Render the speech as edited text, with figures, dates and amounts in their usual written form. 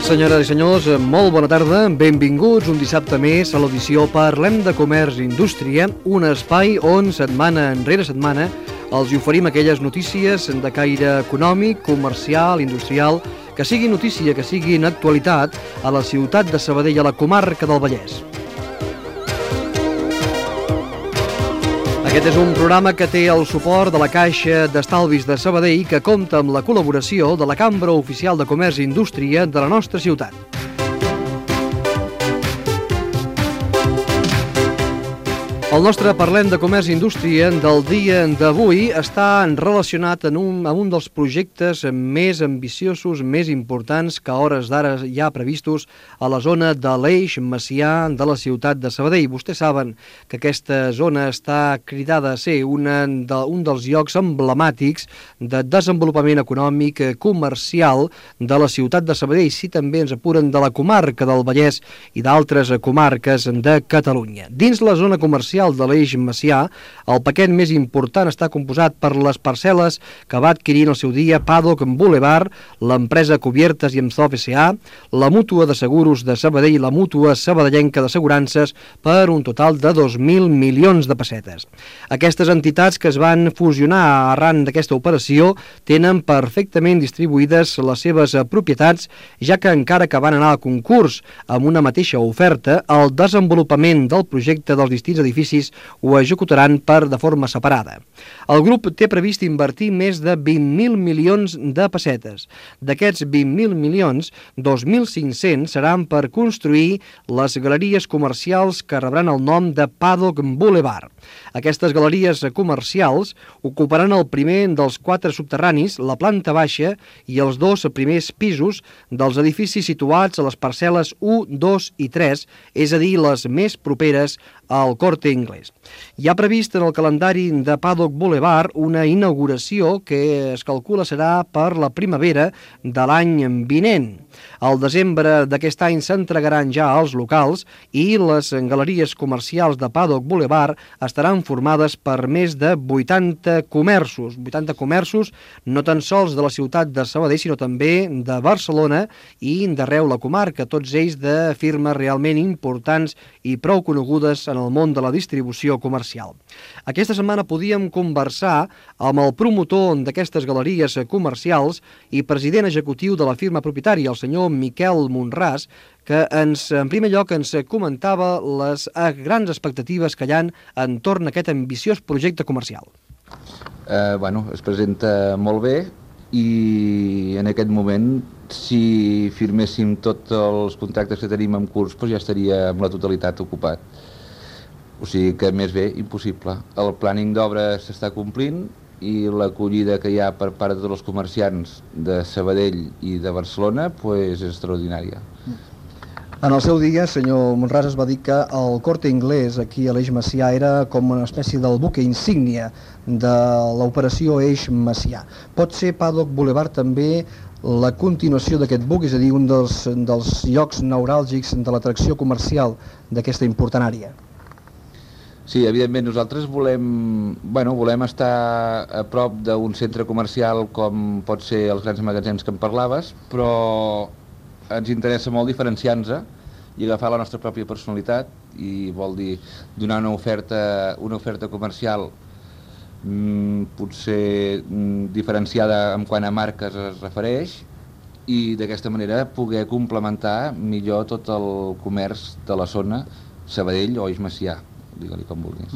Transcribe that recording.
Senyores i senyors, molt bona tarda, benvinguts un dissabte més a l'audició Parlem de Comerç i Indústria, un espai on setmana enrere setmana els oferim aquelles notícies de caire econòmic, comercial, industrial, que siguin notícia, que siguin actualitat a la ciutat de Sabadell, a la comarca del Vallès. Aquest és un programa que té el suport de la Caixa d'Estalvis de Sabadell, que compta amb la col·laboració de la Cambra Oficial de Comerç i Indústria de la nostra ciutat. El nostre Parlem de Comerç i Indústria del dia d'avui està relacionat amb un dels projectes més ambiciosos, més importants que a hores d'ara hi ha previstos a la zona de l'Eix Macià de la ciutat de Sabadell. Vostès saben que aquesta zona està cridada a ser un dels llocs emblemàtics de desenvolupament econòmic comercial de la ciutat de Sabadell, si també ens apuren de la comarca del Vallès i d'altres comarques de Catalunya. Dins la zona comercial de l'Eix Macià, el paquet més important està composat per les parcel·les que va adquirir en el seu dia Paddock Boulevard, l'empresa Cubiertes i Emzov S.A., la Mútua de Seguros de Sabadell i la Mútua Sabadellenca d'Assegurances per un total de 2.000 milions de pessetes. Aquestes entitats que es van fusionar arran d'aquesta operació tenen perfectament distribuïdes les seves propietats, ja que encara que van anar al concurs amb una mateixa oferta, el desenvolupament del projecte dels distints edificis ho executaran de forma separada. El grup té previst invertir més de 20.000 milions de pessetes. D'aquests 20.000 milions, 2.500 seran per construir les galeries comercials que rebran el nom de Paddock Boulevard. Aquestes galeries comercials ocuparan el primer dels 4 subterranis, la planta baixa i els 2 primers pisos dels edificis situats a les parcel·les 1, 2 i 3, és a dir, les més properes al Corte Inglés. Hi ha previst en el calendari de Paddock Boulevard una inauguració que es calcula serà per la primavera de l'any vinent. Al desembre d'aquest any s'entregaran ja als locals i les galeries comercials de Paddock Boulevard estaran formades per més de 80 comerços. 80 comerços no tan sols de la ciutat de Sabadell, sinó també de Barcelona i d'arreu la comarca, tots ells de firmes realment importants i prou conegudes en el món de la distribució comercial. Aquesta setmana podíem conversar amb el promotor d'aquestes galeries comercials i president executiu de la firma propietària, el senyor Miquel Monràs, que en primer lloc ens comentava les grans expectatives que hi ha entorn a aquest ambiciós projecte comercial. Es presenta molt bé i en aquest moment, si firméssim tots els contractes que tenim en curs, ja estaria amb la totalitat ocupat. O sigui que més bé, impossible. El plàning d'obra s'està complint i l'acollida que hi ha per part de tots els comerciants de Sabadell i de Barcelona és extraordinària. En el seu dia, senyor Monràs, es va dir que el Corte Inglés aquí a l'Eix Macià era com una espècie del buque insígnia de l'operació Eix Macià. Pot ser Paddock Boulevard també la continuació d'aquest buc, és a dir, un dels llocs neuràlgics de l'atracció comercial d'aquesta important àrea? Sí, evidentment, nosaltres volem estar a prop d'un centre comercial com pot ser els grans magatzems que en parlaves, però ens interessa molt diferenciar-nos i agafar la nostra pròpia personalitat, i vol dir donar una oferta comercial potser diferenciada en quant a marques es refereix, i d'aquesta manera poder complementar millor tot el comerç de la zona Sabadell o Eix Macià, digue-li com vulguis.